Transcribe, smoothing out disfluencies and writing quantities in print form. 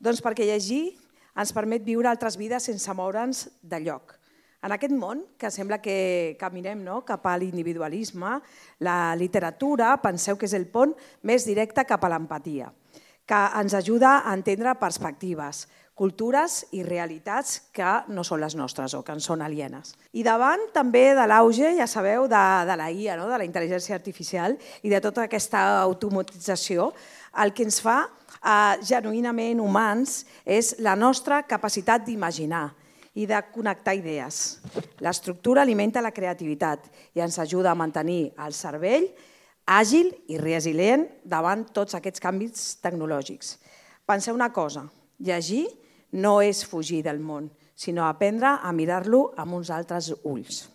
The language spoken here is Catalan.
Doncs perquè llegir ens permet viure altres vides sense moure'ns de lloc. En aquest món, que sembla que caminem cap a l'individualisme, la literatura, penseu que és el pont més directe cap a l'empatia, que ens ajuda a entendre perspectives, cultures i realitats que no són les nostres o que ens són alienes. I davant també de l'auge, ja sabeu, de la IA, de la intel·ligència artificial i de tota aquesta automatització, el que ens fa genuïnament humans és la nostra capacitat d'imaginar i de connectar idees. L'estructura alimenta la creativitat i ens ajuda a mantenir el cervell àgil i resilient davant tots aquests canvis tecnològics. Penseu una cosa, llegir no és fugir del món, sinó aprendre a mirar-lo amb uns altres ulls.